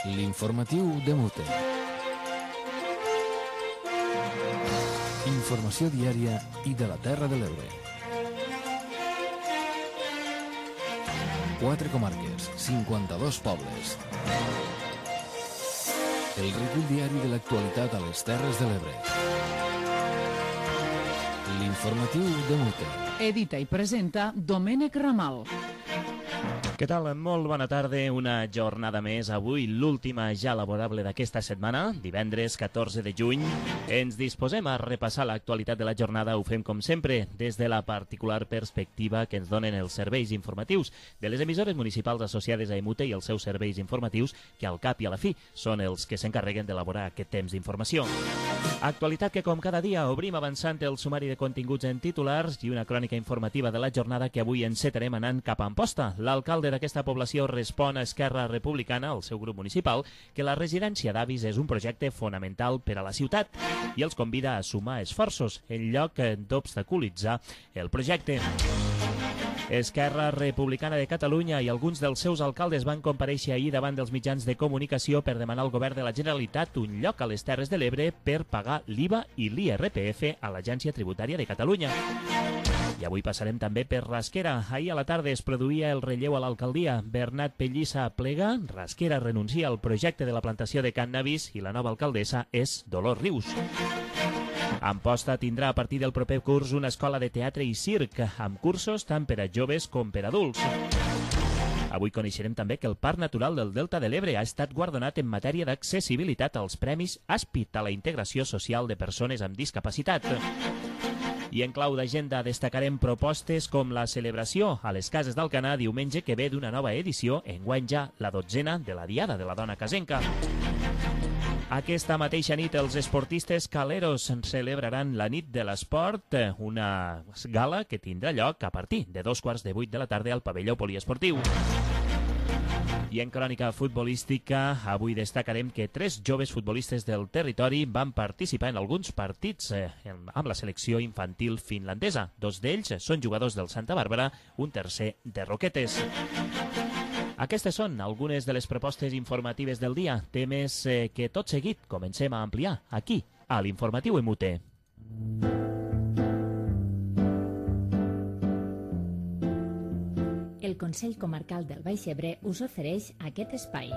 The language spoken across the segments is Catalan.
L'informatiu de Mute. Informació diària i de la Terra de l'Ebre. 4 comarques, 52 pobles. El recull diari de l'actualitat a les Terres de l'Ebre. L'informatiu de Mute. Edita i presenta Domènec Ramal. Què tal? Molt bona tarda, una jornada més. Avui l'última ja laborable d'aquesta setmana, divendres 14 de juny. Ens disposem a repassar l'actualitat de la jornada. Ho fem com sempre des de la particular perspectiva que ens donen els serveis informatius de les emissores municipals associades a EMUTE i els seus serveis informatius, que al cap i a la fi són els que s'encarreguen d'elaborar aquest temps d'informació. Actualitat que, com cada dia, obrim avançant el sumari de continguts en titulars i una crònica informativa de la jornada que avui encetarem anant cap a Amposta. L'alcalde d'aquesta població respon a Esquerra Republicana, el seu grup municipal, que la residència d'avis és un projecte fonamental per a la ciutat i els convida a sumar esforços en lloc d'obstaculitzar el projecte. Esquerra Republicana de Catalunya i alguns dels seus alcaldes van comparèixer ahir davant dels mitjans de comunicació per demanar al govern de la Generalitat un lloc a les Terres de l'Ebre per pagar l'IVA i l'IRPF a l'Agència Tributària de Catalunya. I avui passarem també per Rasquera. Ahir a la tarda es produïa el relleu a l'alcaldia. Bernat Pellissa plega, Rasquera renuncia al projecte de la plantació de cànnabis i la nova alcaldessa és Dolors Rius. Amposta tindrà a partir del proper curs una escola de teatre i circ, amb cursos tant per a joves com per a adults. Avui coneixerem també que el Parc Natural del Delta de l'Ebre ha estat guardonat en matèria d'accessibilitat als Premis Aspit a la integració social de persones amb discapacitat. I en clau d'agenda destacarem propostes com la celebració a les Cases d'Alcanar diumenge que ve d'una nova edició, enguany ja la 12a de la Diada de la Dona Casenca. Aquesta mateixa nit els esportistes caleros celebraran la nit de l'esport, una gala que tindrà lloc a partir de 7:15 de la tarda al pavelló poliesportiu. I en crònica futbolística, avui destacarem que 3 joves futbolistes del territori van participar en alguns partits amb la selecció infantil finlandesa. 2 d'ells són jugadors del Santa Bàrbara, un tercer de Roquetes. Aquestes són algunes de les propostes informatives del dia, temes que tot seguit comencem a ampliar aquí, a l'Informatiu EMUTE. El Consell Comarcal del Baix Ebre us ofereix aquest espai.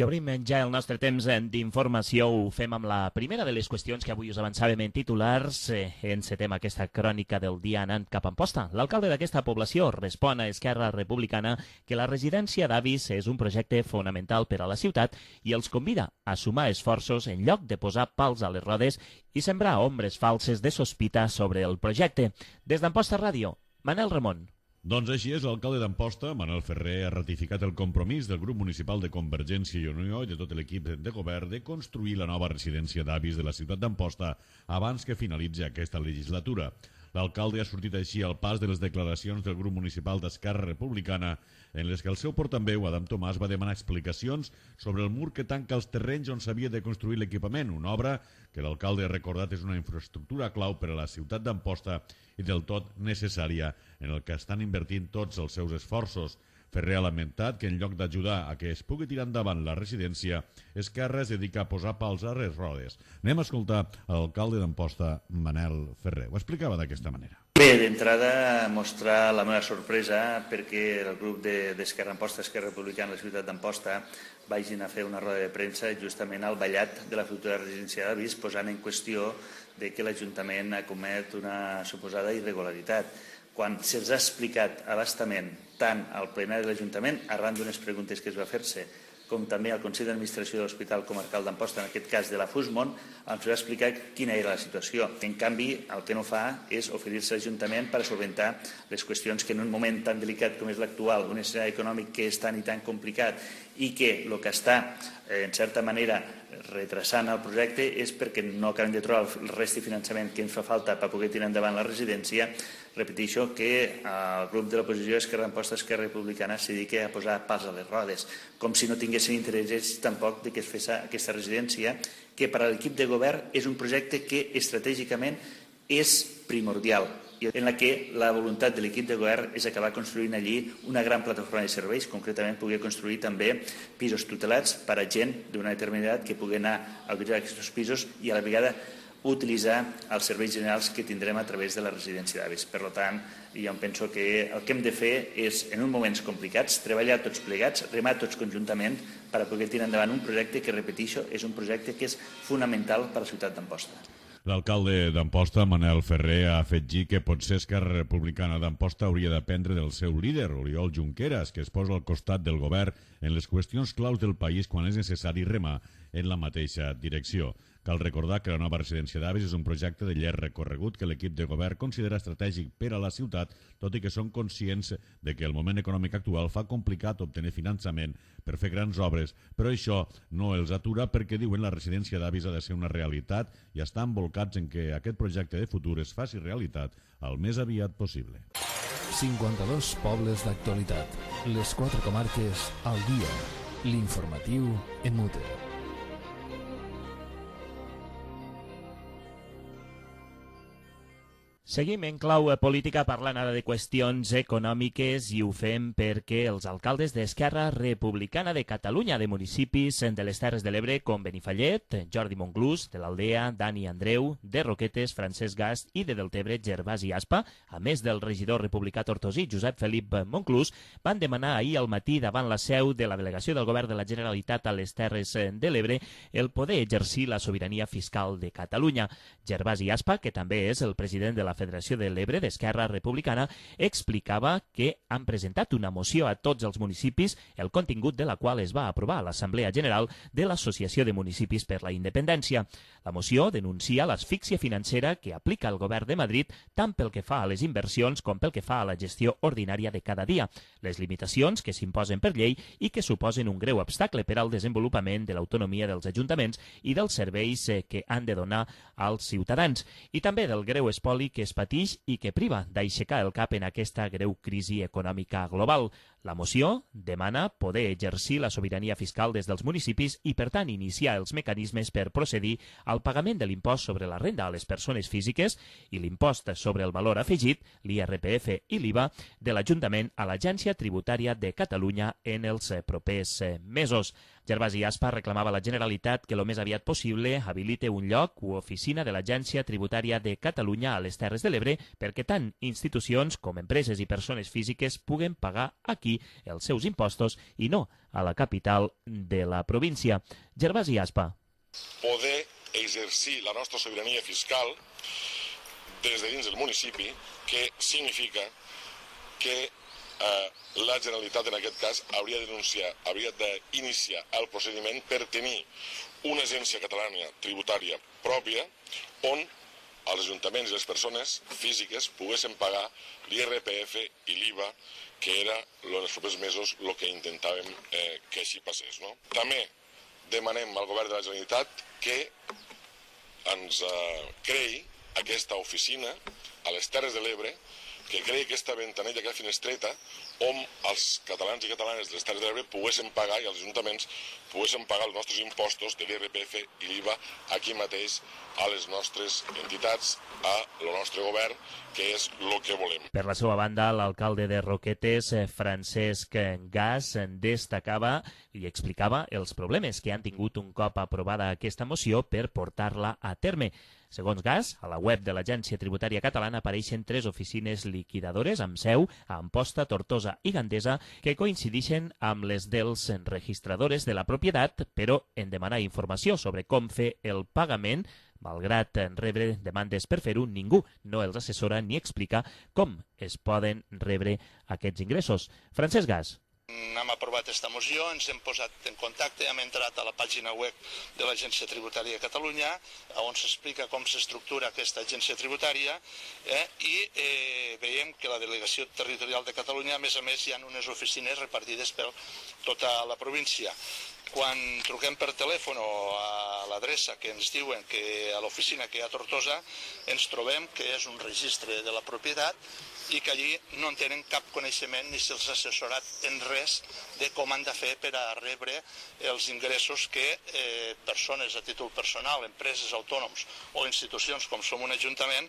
I obrim ja el nostre temps d'informació. Ho fem amb la primera de les qüestions que avui us avançàvem en titulars. Encetem aquesta crònica del dia anant cap a Amposta. L'alcalde d'aquesta població respon a Esquerra Republicana que la residència d'avis és un projecte fonamental per a la ciutat i els convida a sumar esforços en lloc de posar pals a les rodes i sembrar ombres falses de sospita sobre el projecte. Des d'Amposta Ràdio, Manel Ramon. Doncs així és, l'alcalde d'Amposta, Manuel Ferrer, ha ratificat el compromís del grup municipal de Convergència i Unió i de tot l'equip de govern de construir la nova residència d'avis de la ciutat d'Amposta abans que finalitzi aquesta legislatura. L'alcalde ha sortit així al pas de les declaracions del grup municipal d'Esquerra Republicana en les que el seu portaveu, Adam Tomàs, va demanar explicacions sobre el mur que tanca els terrenys on s'havia de construir l'equipament, una obra que l'alcalde ha recordat és una infraestructura clau per a la ciutat d'Amposta i del tot necessària en el que estan invertint tots els seus esforços. Ferrer ha lamentat que en lloc d'ajudar a que es pugui tirar endavant la residència, Esquerra es dedica a posar pals a les rodes. Anem a escoltar l'alcalde d'Amposta, Manel Ferrer. Ho explicava d'aquesta manera. Bé, d'entrada mostrar la meva sorpresa perquè el grup d'Esquerra Amposta, Esquerra Republicana de la ciutat d'Amposta vagin a fer una roda de premsa justament al ballat de la futura residència d'avis, posant en qüestió de que l'Ajuntament ha comès una suposada irregularitat, quan se'ls ha explicat a bastament tant al plenari de l'Ajuntament, arran d'unes preguntes que es va fer-se, com també al Consell d'Administració de l'Hospital Comarcal d'Amposta, en aquest cas de la Fusmont, ens va explicar quina era la situació. En canvi, el que no fa és oferir-se a l'Ajuntament per solventar les qüestions que en un moment tan delicat com és l'actual, un escenari econòmic que és tan i tan complicat i que el que està, en certa manera, retrasant el projecte és perquè no acabem de trobar el rest de finançament que ens fa falta per poder tirar endavant la residència. Repeteixo que el grup de l'oposició Esquerra d'Amposta, Esquerra Republicana, s'hi dedica a posar pals a les rodes, com si no tinguessin interès tampoc que es fes aquesta residència, que per a l'equip de govern és un projecte que estratègicament és primordial, i en la que la voluntat de l'equip de govern és acabar construint allí una gran plataforma de serveis, concretament poder construir també pisos tutelats per a gent d'una determinada edat que pugui anar a utilitzar aquests pisos i a la vegada utilitzar els serveis generals que tindrem a través de la residència d'avis. Per tant, jo penso que el que hem de fer és, en uns moments complicats, treballar tots plegats, remar tots conjuntament per a poder tirar endavant un projecte que, repeteixo, és un projecte que és fonamental per a la ciutat d'Amposta. L'alcalde d'Amposta, Manel Ferrer, ha afegit que potser Esquerra Republicana d'Amposta hauria d'aprendre del seu líder, Oriol Junqueras, que es posa al costat del govern en les qüestions claus del país quan és necessari remar en la mateixa direcció. Cal recordar que la nova residència d'avis és un projecte de llarg recorregut que l'equip de govern considera estratègic per a la ciutat, tot i que són conscients de que el moment econòmic actual fa complicat obtenir finançament per fer grans obres, però això no els atura perquè diuen la residència d'avis ha de ser una realitat i estan volcats en que aquest projecte de futur es faci realitat el més aviat possible. 52 pobles d'actualitat. Les 4 comarques al dia. L'informatiu en mute. Seguim en clau política parlant ara de qüestions econòmiques i ho fem perquè els alcaldes d'Esquerra Republicana de Catalunya de municipis de les Terres de l'Ebre com Benifallet, Jordi Monclús, de l'Aldea, Dani Andreu, de Roquetes, Francesc Gast i de Deltebre, Gervasi Aspa, a més del regidor republicà tortosí, Josep Felip Monclús, van demanar ahir al matí davant la seu de la delegació del govern de la Generalitat a les Terres de l'Ebre el poder exercir la sobirania fiscal de Catalunya. Gervasi Aspa, que també és el president de la Federació de l'Ebre d'Esquerra Republicana, explicava que han presentat una moció a tots els municipis, el contingut de la qual es va aprovar a l'Assemblea General de l'Associació de Municipis per la Independència. La moció denuncia l'asfíxia financera que aplica el govern de Madrid tant pel que fa a les inversions com pel que fa a la gestió ordinària de cada dia, les limitacions que s'imposen per llei i que suposen un greu obstacle per al desenvolupament de l'autonomia dels ajuntaments i dels serveis que han de donar als ciutadans, i també del greu espoli que es pateix i que priva d'aixecar el cap en aquesta greu crisi econòmica global. La moció demana poder exercir la sobirania fiscal des dels municipis i, per tant, iniciar els mecanismes per procedir al pagament de l'impost sobre la renda a les persones físiques i l'impost sobre el valor afegit, l'IRPF i l'IVA, de l'Ajuntament a l'Agència Tributària de Catalunya en els propers mesos. Gervasi Aspa reclamava a la Generalitat que el més aviat possible habilite un lloc o oficina de l'Agència Tributària de Catalunya a les Terres de l'Ebre perquè tant institucions com empreses i persones físiques puguen pagar aquí els seus impostos i no a la capital de la província. Gervasi Aspa. Poder exercir la nostra sobirania fiscal des de dins del municipi, que significa que la Generalitat en aquest cas hauria d'iniciar el procediment per tenir una agència catalana tributària pròpia on els ajuntaments i les persones físiques poguessin pagar l'IRPF i l'IVA, que era en els propers mesos el que intentàvem que així passés. També demanem al govern de la Generalitat que ens creï aquesta oficina a les Terres de l'Ebre, que creï aquesta ventanella, aquesta finestreta, on els catalans i catalanes de les Terres de l'Ebre poguessin pagar i els ajuntaments poguessin pagar els nostres impostos de l'IRPF i l'IVA aquí mateix a les nostres entitats, al nostre govern, que és el que volem. Per la seva banda, l'alcalde de Roquetes, Francesc Gast, destacava i explicava els problemes que han tingut un cop aprovada aquesta moció per portar-la a terme. Segons Gast, a la web de l'Agència Tributària Catalana apareixen 3 oficines liquidadores amb seu a Amposta, Tortosa i Gandesa que coincideixen amb les dels registradores de la propietat, però en demanar informació sobre com fer el pagament, malgrat rebre demandes per fer-ho, ningú no els assessora ni explica com es poden rebre aquests ingressos. Francesc Gast. Hem aprovat aquesta moció, ens hem posat en contacte, hem entrat a la pàgina web de l'Agència Tributària de Catalunya, on s'explica com s'estructura aquesta agència tributària, i veiem que la Delegació Territorial de Catalunya, a més, hi ha unes oficines repartides per tota la província. Quan truquem per telèfon o a l'adreça que ens diuen que a l'oficina que hi ha a Tortosa, ens trobem que és un registre de la propietat i que allí no en tenen cap coneixement ni se'ls ha assessorat en res de com han de fer per a rebre els ingressos que persones a títol personal, empreses, autònoms o institucions com som un ajuntament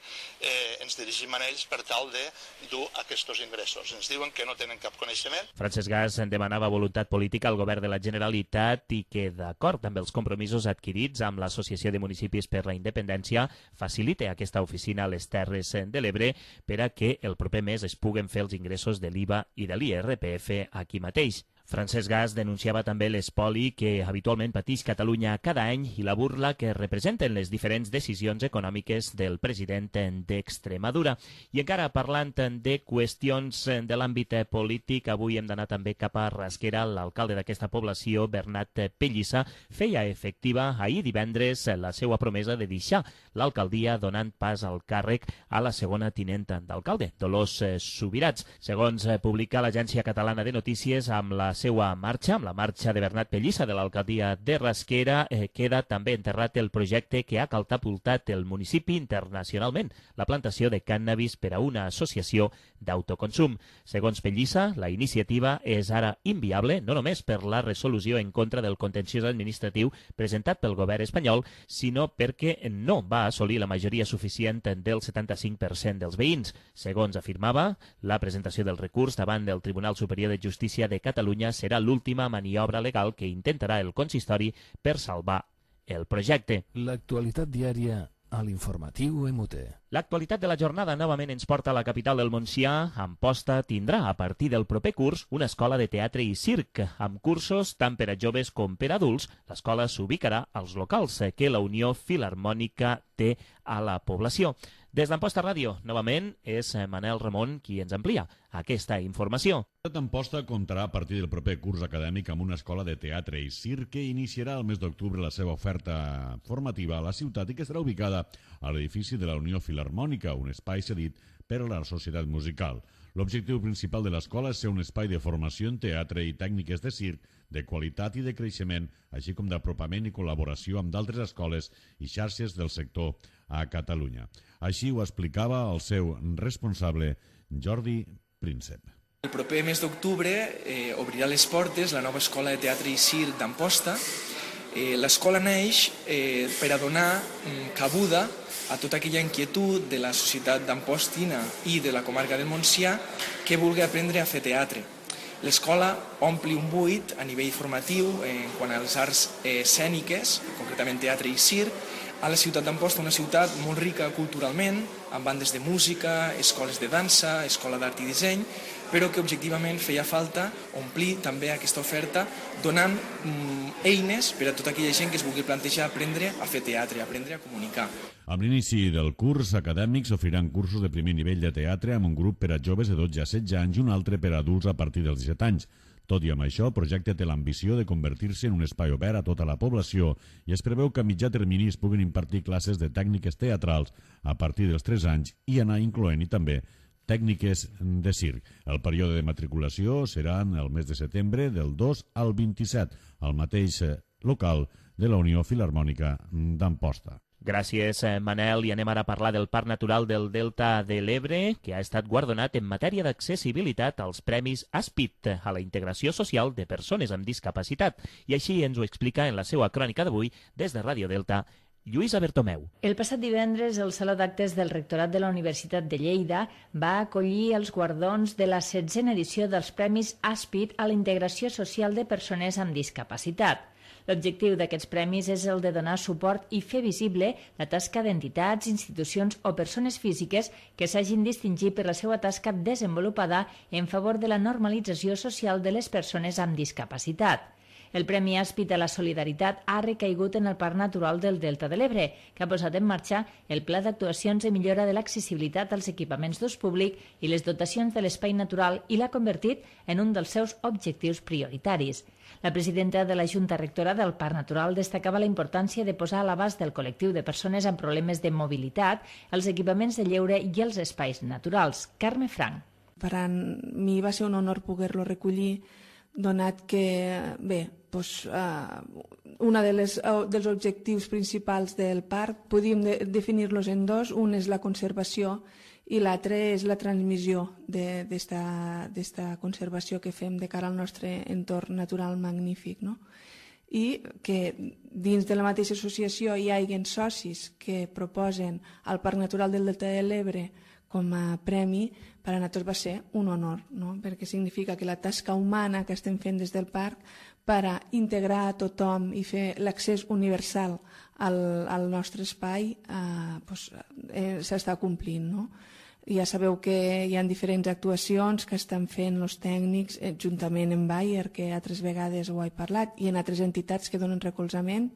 ens dirigim a ells per tal de dur aquests ingressos. Ens diuen que no tenen cap coneixement. Francesc Gas en demanava voluntat política al govern de la Generalitat i que, d'acord amb els compromisos adquirits amb l'Associació de Municipis per la Independència, facilite aquesta oficina a les Terres de l'Ebre per a que el proper mes es puguen fer els ingressos de l'IVA i de l'IRPF aquí mateix. Francesc Gas denunciava també l'espoli que habitualment pateix Catalunya cada any i la burla que representen les diferents decisions econòmiques del president d'Extremadura. I encara parlant de qüestions de l'àmbit polític, avui hem d'anar també cap a Rasquera. L'alcalde d'aquesta població, Bernat Pellissa, feia efectiva ahir divendres la seva promesa de deixar l'alcaldia donant pas al càrrec a la segona tinenta d'alcalde, Dolors Subirats. Segons publica l'Agència Catalana de Notícies, amb la seva marxa, amb la marxa de Bernat Pellissa de l'alcaldia de Rasquera, queda també enterrat el projecte que ha catapultat el municipi internacionalment, la plantació de cànnabis per a una associació d'autoconsum. Segons Pellissa, la iniciativa és ara inviable, no només per la resolució en contra del contenciós administratiu presentat pel govern espanyol, sinó perquè no va assolir la majoria suficient del 75% dels veïns. Segons afirmava, la presentació del recurs davant del Tribunal Superior de Justícia de Catalunya serà l'última maniobra legal que intentarà el consistori per salvar el projecte. L'actualitat diària a l'informatiu MUT. L'actualitat de la jornada novament ens porta a la capital del Montsià. Amposta tindrà a partir del proper curs una escola de teatre i circ, amb cursos tant per a joves com per a adults. L'escola s'ubicarà als locals que la Unió Filharmònica té a la població. Des d'Amposta Ràdio, novament, és Manel Ramon qui ens amplia aquesta informació. La ciutat d'Amposta comptarà a partir del proper curs acadèmic amb una escola de teatre i circ que iniciarà el mes d'octubre la seva oferta formativa a la ciutat i que estarà ubicada a l'edifici de la Unió Filharmònica, un espai cedit per a la societat musical. L'objectiu principal de l'escola és ser un espai de formació en teatre i tècniques de circ de qualitat i de creixement, així com d'apropament i col·laboració amb d'altres escoles i xarxes del sector a Catalunya. Així ho explicava el seu responsable, Jordi Príncep. El proper mes d'octubre obrirà les portes la nova escola de teatre i circ d'Amposta. L'escola neix per a donar cabuda a tota aquella inquietud de la societat d'Ampostina i de la comarca del Montsià que vulgui aprendre a fer teatre. L'escola ompli un buit a nivell formatiu en quant als arts escèniques, concretament teatre i circ, a la ciutat d'Amposta, una ciutat molt rica culturalment, amb bandes de música, escoles de dansa, escola d'art i disseny, però que objectivament feia falta omplir també aquesta oferta donant eines per a tota aquella gent que es vulgui plantejar aprendre a fer teatre, aprendre a comunicar. Amb l'inici del curs acadèmic s'oferiran cursos de primer nivell de teatre amb un grup per a joves de 12 a 16 anys i un altre per a adults a partir dels 17 anys. Tot i amb això, el projecte té l'ambició de convertir-se en un espai obert a tota la població i es preveu que a mitjà termini es puguin impartir classes de tècniques teatrals a partir dels 3 anys i anar incloent-hi també tècniques de circ. El període de matriculació serà el mes de setembre del 2 al 27, al mateix local de la Unió Filharmònica d'Amposta. Gràcies, Manel. I anem ara a parlar del Parc Natural del Delta de l'Ebre, que ha estat guardonat en matèria d'accessibilitat als Premis ASPIT, a la integració social de persones amb discapacitat. I així ens ho explica en la seva crònica d'avui, des de Ràdio Delta, Lluïsa Bertomeu. El passat divendres, el Saló d'Actes del Rectorat de la Universitat de Lleida va acollir els guardons de la 16a edició dels Premis ASPIT a la integració social de persones amb discapacitat. L'objectiu d'aquests premis és el de donar suport i fer visible la tasca d'entitats, institucions o persones físiques que s'hagin distingit per la seva tasca desenvolupada en favor de la normalització social de les persones amb discapacitat. El Premi ASPIT a la Solidaritat ha recaigut en el Parc Natural del Delta de l'Ebre, que ha posat en marxa el Pla d'Actuacions de millora de l'accessibilitat als equipaments d'ús públic i les dotacions de l'espai natural i l'ha convertit en un dels seus objectius prioritaris. La presidenta de la Junta Rectora del Parc Natural destacava la importància de posar a l'abast del col·lectiu de persones amb problemes de mobilitat els equipaments de lleure i els espais naturals. Carme Frank. Per a mi va ser un honor poder-lo recollir, donat que, bé, dels objectius principals del parc. Podríem definir-los en dos. Un és la conservació i l'altre és la transmissió d'esta conservació que fem de cara al nostre entorn natural magnífic, no? I que dins de la mateixa associació hi hagi socis que proposen el Parc Natural del Delta de l'Ebre com a premi, per a nosaltres va ser un honor, no? Perquè significa que la tasca humana que estem fent des del parc per a integrar a tothom i fer l'accés universal al nostre espai s'està complint, no? Ja sabeu que hi ha diferents actuacions que estan fent els tècnics juntament amb Bayer, que altres vegades ho he parlat, i en altres entitats que donen recolzament,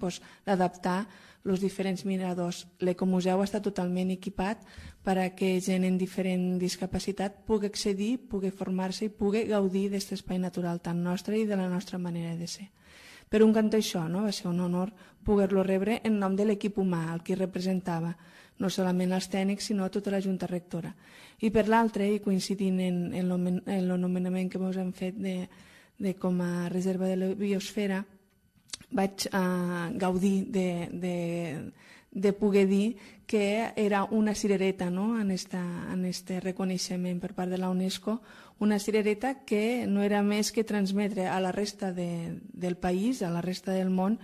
d'adaptar els diferents miradors. L'Ecomuseu està totalment equipat per a que gent amb diferent discapacitat pugui accedir, pugui formar-se i pugui gaudir d'aquest espai natural tan nostre i de la nostra manera de ser. Per un cantó això, no? Va ser un honor poder-lo rebre en nom de l'equip humà, el que representava no solament els tècnics, sinó tota la Junta Rectora. I per l'altre, i coincidint en l'anomenament que ens hem fet com a reserva de la biosfera, vaig gaudir de poder dir que era una cirereta, no? en este reconeixement per part de la UNESCO, una cirereta que no era més que transmetre a la resta del país, a la resta del món,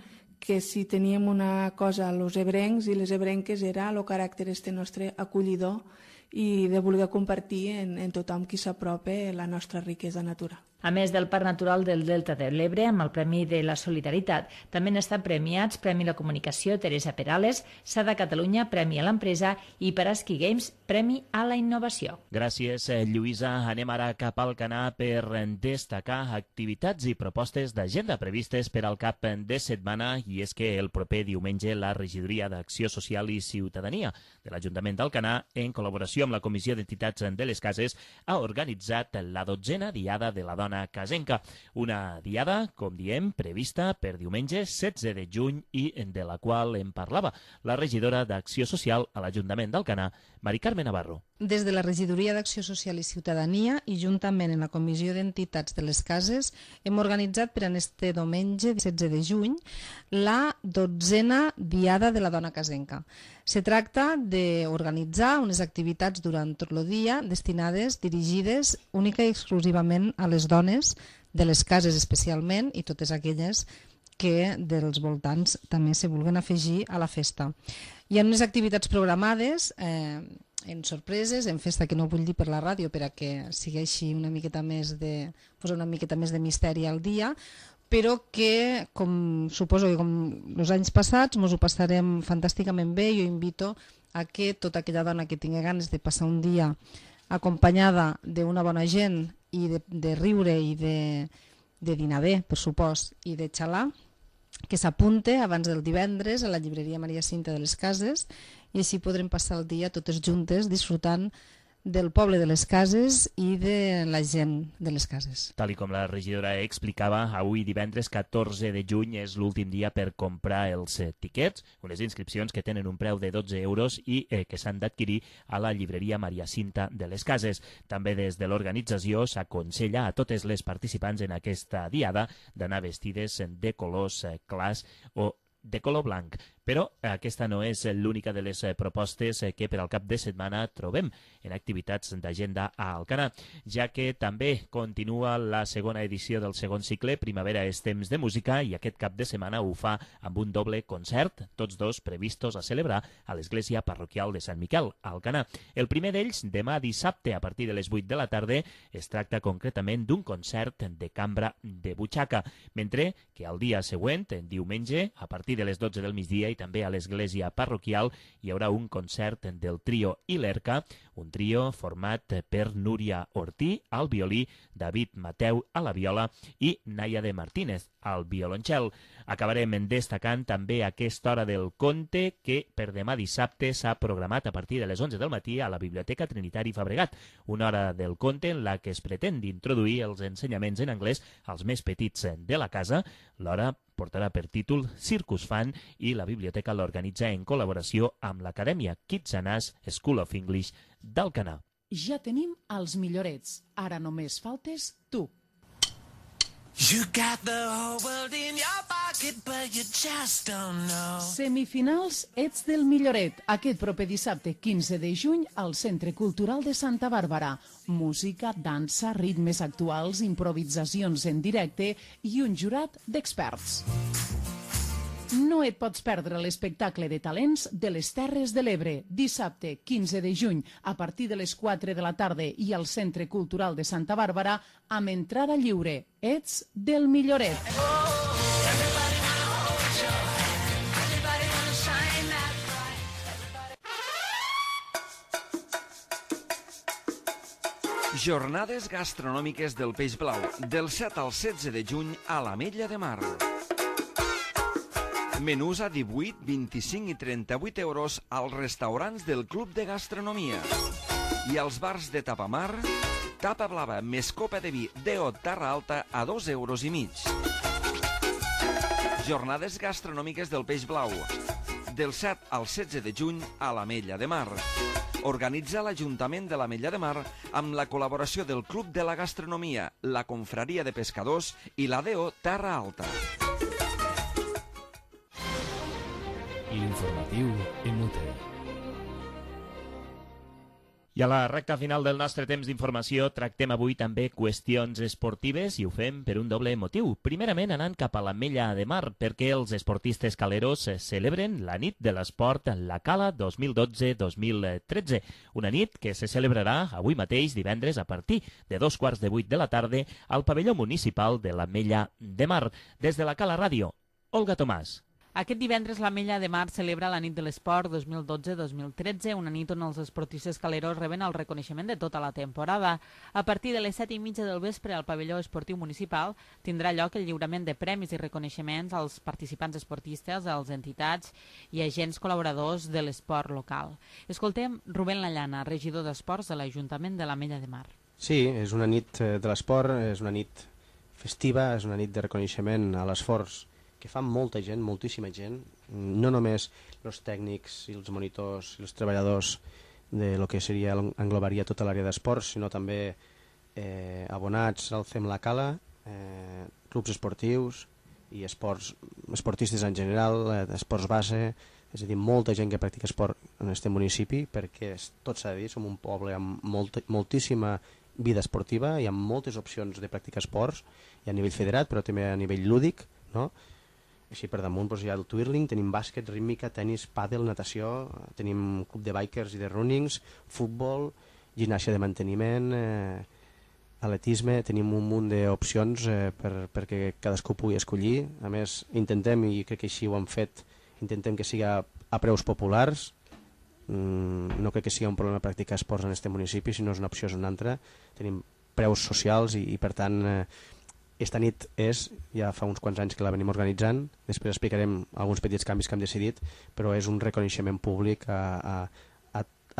que si teníem una cosa als ebrencs i les ebrenques era el caràcter nostre acollidor i de voler compartir en tothom qui s'apropa la nostra riquesa natural. A més del Parc Natural del Delta de l'Ebre, amb el Premi de la Solidaritat, també han estat premiats Premi a la Comunicació Teresa Perales, SADA Catalunya, Premi a l'Empresa i per Ski Games, Premi a la Innovació. Gràcies, Lluïsa. Anem ara cap al Canà per destacar activitats i propostes d'agenda previstes per al cap de setmana, i és que el proper diumenge la Regidoria d'Acció Social i Ciutadania de l'Ajuntament d'Alcanar, en col·laboració amb la Comissió d'Entitats de les Cases, ha organitzat la 12a Diada de la Dona Casenca, una diada, com diem, prevista per diumenge 16 de juny i de la qual en parlava la regidora d'Acció Social a l'Ajuntament d'Alcanar, Mari Carme Navarro. Des de la Regidoria d'Acció Social i Ciutadania i juntament amb la Comissió d'Entitats de les Cases hem organitzat per a este diumenge 16 de juny la 12a Diada de la Dona Casenca. Se tracta d'organitzar unes activitats durant tot el dia destinades, dirigides única i exclusivament a les dones de les cases especialment i totes aquelles que dels voltants també se vulguen afegir a la festa. Hi ha unes activitats programades en sorpreses, en festa, que no vull dir per la ràdio per a que sigui una miqueta més de posar una miqueta més de misteri al dia, però que, com suposo que com els anys passats, ens ho passarem fantàsticament bé. Jo invito a que tota aquella dona que tingui ganes de passar un dia acompanyada d'una bona gent i de riure i de dinar bé, per supost, i de xalar, que s'apunte abans del divendres a la llibreria Maria Cinta de les Cases, i així podrem passar el dia totes juntes disfrutant del poble de les cases i de la gent de les cases. Tal com la regidora explicava, avui divendres 14 de juny és l'últim dia per comprar els tiquets, unes inscripcions que tenen un preu de 12 euros i que s'han d'adquirir a la llibreria Maria Cinta de les Cases. També des de l'organització s'aconsella a totes les participants en aquesta diada d'anar vestides de colors clars o de color blanc. Però aquesta no és l'única de les propostes que per al cap de setmana trobem en activitats d'agenda a Alcanar, ja que també continua la segona edició del segon cicle Primavera és temps de música, i aquest cap de setmana ho fa amb un doble concert, tots dos previstos a celebrar a l'Església Parroquial de Sant Miquel, a Alcanar. El primer d'ells, demà dissabte, a partir de les 8 de la tarda, es tracta concretament d'un concert de cambra de butxaca, mentre que al dia següent, diumenge, a partir de les 12 del migdia, i també a l'església parroquial, hi haurà un concert del trio Ilerca, un trio format per Núria Ortí al violí, David Mateu a la viola i Naia de Martínez al violoncel. Acabarem destacant també aquesta hora del conte que per demà dissabte s'ha programat a partir de les 11 del matí a la Biblioteca Trinitari Fabregat, una hora del conte en la que es pretén d'introduir els ensenyaments en anglès als més petits de la casa. L'hora portarà per títol Circus Fan i la biblioteca l'organitza en col·laboració amb l'Acadèmia Kitsanàs School of English d'Alcanar. Ja tenim els millorets. Ara només faltes tu. You got the whole world in your pocket, but you just don't know. Semifinals Ets del Milloret, aquest proper dissabte 15 de juny al Centre Cultural de Santa Bàrbara. Música, dansa, ritmes actuals, improvisacions en directe i un jurat d'experts. No et pots perdre l'espectacle de talents de les Terres de l'Ebre, dissabte 15 de juny, a partir de les 4 de la tarda i al Centre Cultural de Santa Bàrbara, amb entrada lliure. Ets del Milloret. Jornades gastronòmiques del Peix Blau, del 7 al 16 de juny a l'Ametlla de Mar. Menús a 18, 25 i 38 euros als restaurants del Club de Gastronomia. I als bars de Tapamar, tapa blava més copa de vi DO Terra Alta a 2 euros i mig. Jornades gastronòmiques del Peix Blau, del 7 al 16 de juny a l'Ametlla de Mar. Organitza l'Ajuntament de l'Ametlla de Mar amb la col·laboració del Club de la Gastronomia, la Confraria de Pescadors i la DO Terra Alta. L'informatiu Emute. I a la recta final del nostre temps d'informació tractem avui també qüestions esportives i ho fem per un doble motiu. Primerament anant cap a l'Ametlla de Mar perquè els esportistes caleros celebren la nit de l'esport La Cala 2012-2013. Una nit que se celebrarà avui mateix divendres a partir de 2:15 de la tarda al pavelló municipal de l'Ametlla de Mar. Des de la Cala Ràdio, Olga Tomàs. Aquest divendres l'Ametlla de Mar celebra la nit de l'esport 2012-2013, una nit on els esportistes caleros reben el reconeixement de tota la temporada. A partir de les 7:30 del vespre al pavelló esportiu municipal tindrà lloc el lliurament de premis i reconeixements als participants esportistes, als entitats i agents col·laboradors de l'esport local. Escoltem Rubén Lallana, regidor d'Esports de l'Ajuntament de l'Ametlla de Mar. Sí, és una nit de l'esport, és una nit festiva, és una nit de reconeixement a l'esforç que fa molta gent, moltíssima gent, no només els tècnics i els monitors i els treballadors de lo que seria, englobaria tota l'àrea d'esports, sinó també abonats al CEM La Cala, clubs esportius i esportistes en general, esports base, és a dir, molta gent que practica esport en aquest municipi, perquè tot s'ha de dir, som un poble amb moltíssima vida esportiva i amb moltes opcions de practicar esports, i a nivell federat, però també a nivell lúdic, no? Així per damunt hi ha el twirling, tenim bàsquet, rítmica, tennis, pàdel, natació, tenim club de bikers i de runnings, futbol, ginàstica de manteniment, atletisme, tenim un munt d'opcions perquè cadascú pugui escollir. A més, intentem, i crec que així ho hem fet, intentem que siga a preus populars. No crec que sigui un problema practicar esports en aquest municipi, si no és una opció és una altra. Tenim preus socials i per tant... Esta nit ja fa uns quants anys que la venim organitzant, després explicarem alguns petits canvis que hem decidit, però és un reconeixement públic a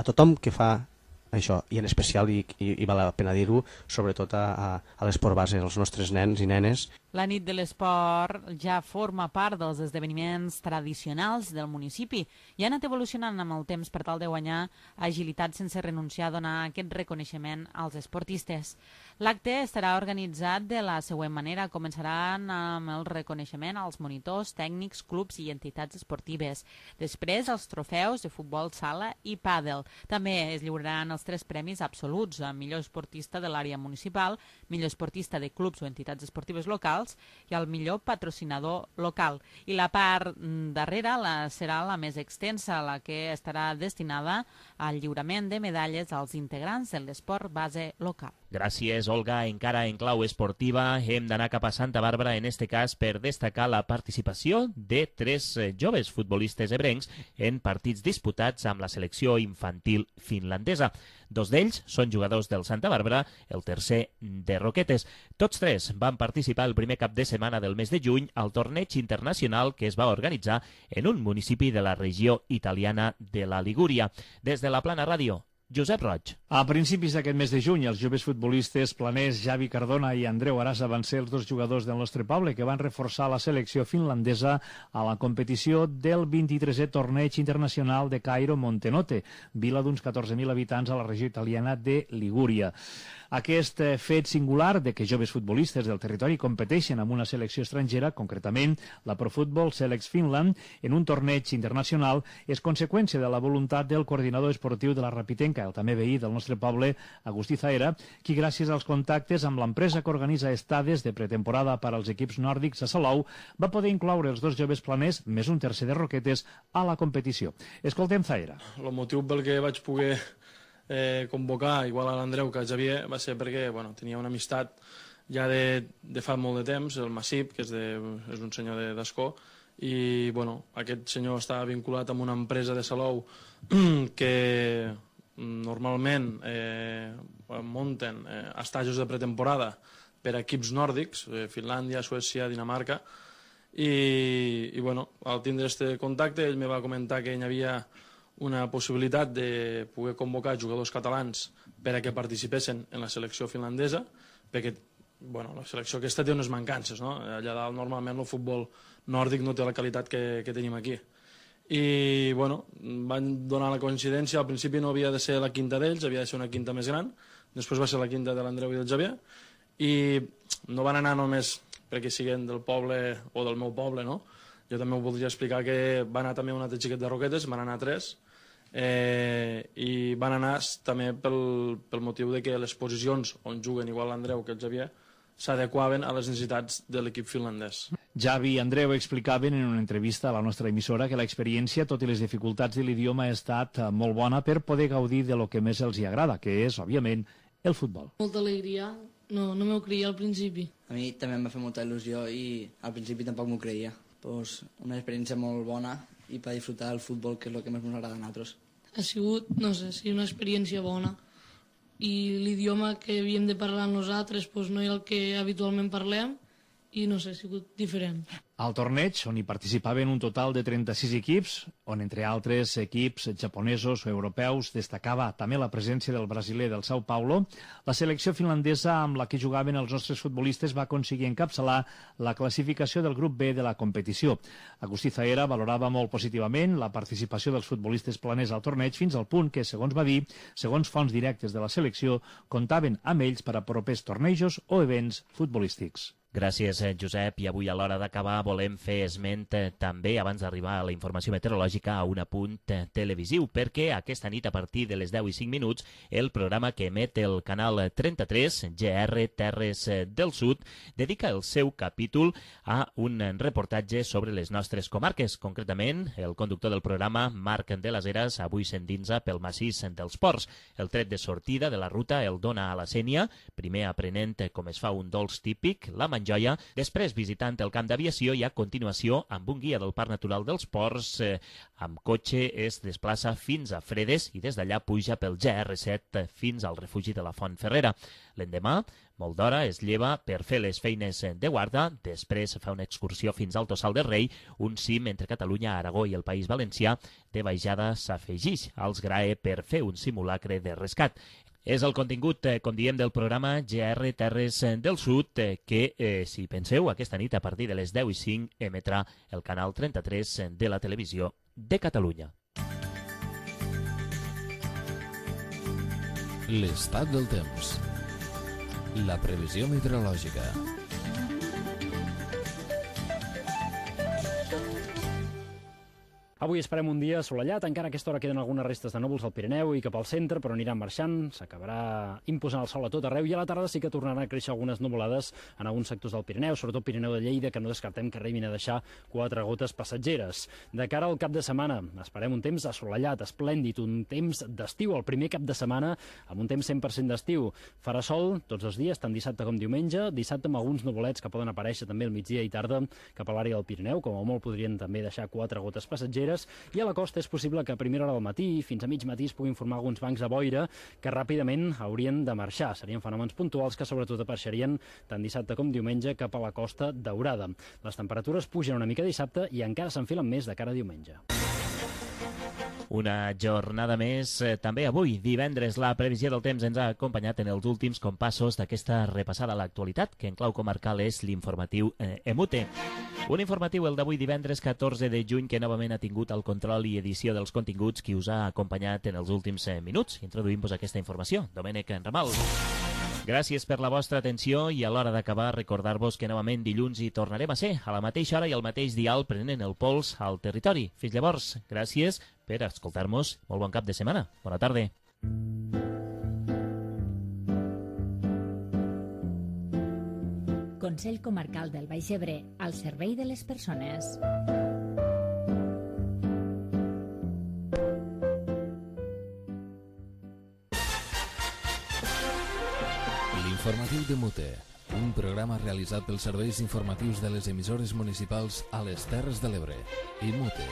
tothom que fa això, i en especial, i val la pena dir-ho, sobretot a l'esport base, als nostres nens i nenes. La nit de l'esport ja forma part dels esdeveniments tradicionals del municipi i ha anat evolucionant amb el temps per tal de guanyar agilitat sense renunciar a donar aquest reconeixement als esportistes. L'acte estarà organitzat de la següent manera. Començaran amb el reconeixement als monitors, tècnics, clubs i entitats esportives. Després, els trofeus de futbol sala i pàdel. També es lliuraran els 3 premis absoluts a millor esportista de l'àrea municipal, millor esportista de clubs o entitats esportives locals i el millor patrocinador local. I la part darrere serà la més extensa, la que estarà destinada al lliurament de medalles als integrants de l'esport base local. Gràcies, Olga. Encara en clau esportiva hem d'anar cap a Santa Bàrbara, en este cas per destacar la participació de 3 joves futbolistes ebrencs en partits disputats amb la selecció infantil finlandesa. 2 d'ells són jugadors del Santa Bàrbara, el tercer de Roquetes. Tots 3 van participar el primer cap de setmana del mes de juny al torneig internacional que es va organitzar en un municipi de la regió italiana de la Ligúria. Des de la Plana Ràdio, Josep Roig. A principis d'aquest mes de juny, els joves futbolistes planers Javi Cardona i Andreu Arasa van ser els dos jugadors del nostre poble que van reforçar la selecció finlandesa a la competició del 23è torneig internacional de Cairo Montenotte, vila d'uns 14.000 habitants a la regió italiana de Ligúria. Aquest fet singular de que joves futbolistes del territori competeixen amb una selecció estrangera, concretament la Pro Football Selects Finland, en un torneig internacional, és conseqüència de la voluntat del coordinador esportiu de la Rapitenca, el també veí del nostre poble, Agustí Zaera, qui gràcies als contactes amb l'empresa que organitza estades de pretemporada per als equips nòrdics a Salou, va poder incloure els dos joves planers, més un tercer de Roquetes, a la competició. Escoltem Zaera. El motiu pel que vaig poder convocar, igual a l'Andreu que a Xavier, va ser perquè tenia una amistat ja de fa molt de temps, el Massip, que és un senyor d'Escó, i aquest senyor està vinculat amb una empresa de Salou que normalment munten estajos de pretemporada per a equips nòrdics, Finlàndia, Suècia, Dinamarca, i al tindre aquest contacte ell me va comentar que hi havia una possibilitat de poder convocar jugadors catalans per a que participessin en la selecció finlandesa, perquè la selecció aquesta té unes mancances, no? Allà dalt normalment el futbol nòrdic no té la qualitat que tenim aquí. I van donar la coincidència, al principi no havia de ser la quinta d'ells, havia de ser una quinta més gran, després va ser la quinta de l'Andreu i del Xavier, i no van anar només perquè siguin del poble o del meu poble, no? Jo també ho voldria explicar que va anar també un altre xiquet de Roquetes, van anar 3, i van anar també pel motiu de que les posicions on juguen igual l'Andreu que el Xavier s'adequaven a les necessitats de l'equip finlandès. Javi i Andreu explicaven en una entrevista a la nostra emissora que l'experiència, tot i les dificultats de l'idioma, ha estat molt bona per poder gaudir de lo que més els hi agrada, que és, òbviament, el futbol. Molta alegria, no m'ho creia al principi. A mi també em va fer molta il·lusió i al principi tampoc m'ho creia. Pues una experiència molt bona i per disfrutar del futbol, que és el que més ens agrada a nosaltres. Ha sigut, no sé, una experiència bona i l'idioma que havíem de parlar nosaltres no era el que habitualment parlem i no sé, ha sigut diferent. Al torneig, on hi participaven un total de 36 equips, on entre altres equips japonesos o europeus destacava també la presència del brasiler del São Paulo, la selecció finlandesa amb la que jugaven els nostres futbolistes va aconseguir encapçalar la classificació del grup B de la competició. Agustí Zaera valorava molt positivament la participació dels futbolistes planers al torneig fins al punt que, segons va dir, segons fonts directes de la selecció, comptaven amb ells per a propers tornejos o events futbolístics. Gràcies, Josep. I avui, a l'hora d'acabar, volem fer esment també, abans d'arribar a la informació meteorològica, a un apunt televisiu, perquè aquesta nit, a partir de les 10:05, el programa que emet el canal 33, GR Terres del Sud, dedica el seu capítol a un reportatge sobre les nostres comarques. Concretament, el conductor del programa, Marc de les Heres, avui s'endinsa pel massís dels Ports. El tret de sortida de la ruta el dona a la Sénia, primer aprenent com es fa un dolç típic, la Joia, després visitant el camp d'aviació i a continuació amb un guia del Parc Natural dels Ports amb cotxe es desplaça fins a Fredes i des d'allà puja pel GR7 fins al refugi de la Font Ferrera. L'endemà, molt d'hora, es lleva per fer les feines de guarda, després fa una excursió fins al Tossal del Rei, un cim entre Catalunya, Aragó i el País Valencià, de baixada s'afegix als GRAE per fer un simulacre de rescat. És el contingut, com diem, del programa GR Terres del Sud, que, si penseu, aquesta nit a partir de les 10:05 emetrà el canal 33 de la televisió de Catalunya. L'estat del temps. La previsió meteorològica. Avui esperem un dia assolellat, encara a aquesta hora queden algunes restes de núvols al Pirineu i cap al centre, però aniran marxant, s'acabarà imposant el sol a tot arreu i a la tarda sí que tornaran a créixer algunes nuvolades en alguns sectors del Pirineu, sobretot Pirineu de Lleida, que no descartem que arribin a deixar 4 gotes passatgeres. De cara al cap de setmana, esperem un temps assolellat, esplèndid, un temps d'estiu, el primer cap de setmana amb un temps 100% d'estiu. Farà sol tots els dies, tant dissabte com diumenge, dissabte amb alguns nuvolets que poden aparèixer també al migdia i tarda cap a l'àrea del Pirineu, com a molt podrien també deixar 4 gotes passatgeres, i a la costa és possible que a primera hora del matí fins a mig matí es puguin formar alguns bancs de boira que ràpidament haurien de marxar. Serien fenòmens puntuals que sobretot apareixerien tant dissabte com diumenge cap a la Costa Daurada. Les temperatures pugen una mica dissabte i encara s'enfilen més de cara a diumenge. Una jornada més, també avui, divendres. La previsió del temps ens ha acompanyat en els últims compassos d'aquesta repassada a l'actualitat, que en clau comarcal és l'informatiu EMUTE. Un informatiu, el d'avui divendres 14 de juny, que novament ha tingut el control i edició dels continguts qui us ha acompanyat en els últims minuts. Introduïm-vos aquesta informació. Domènec Ramal. Gràcies per la vostra atenció i a l'hora d'acabar recordar-vos que novament dilluns hi tornarem a ser a la mateixa hora i al mateix dial prenent el pols al territori. Fins llavors, gràcies per escoltar-nos. Molt bon cap de setmana. Bona tarda. Consell Comarcal del Baix Ebre, al servei de les persones. L'informatiu de Mute, un programa realitzat pels serveis informatius de les emissores municipals a les Terres de l'Ebre. I Mute.